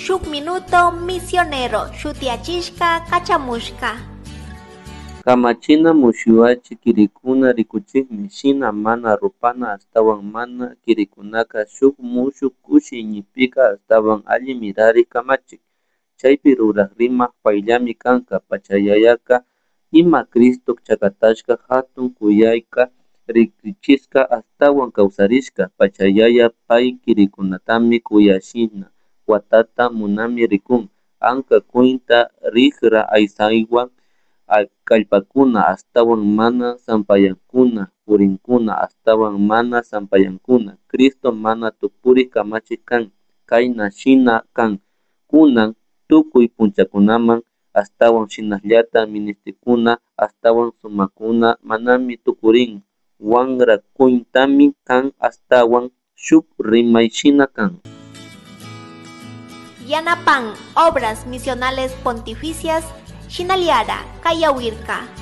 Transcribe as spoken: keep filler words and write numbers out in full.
Shuk Minuto Misionero shutiyachishka kachamushka. Kamachina mushuyachi kirikuna rikuchikmi shina mana rupana ashtawan mana kirikunaka shuk mushuk kushi iñipika ashtawan alli mirarik kamachik chaypi rurak rimak payllami kanka pachayayaka ima Cristo chakatashka hatun kuyayka riksichishka ashtawan kawsarishka pachayaya pay kirikunatami kuyashina watata munami rikun anka kuyta rikra aysaywan kallpakuna ashtawan mana sampayankuna purinkuna ashtawan mana sampayankuna Cristo mana tukurik kamachik kan kayna shina kan kunan tukuy punchakunaman ashtawan shinallata ministikuna ashtawan sumakuna manami tukurin wankra kuytami kan ashtawan shuk rimay shina kan. Yanapan Obras Misionales Pontificias Shinaliara Kayawirka.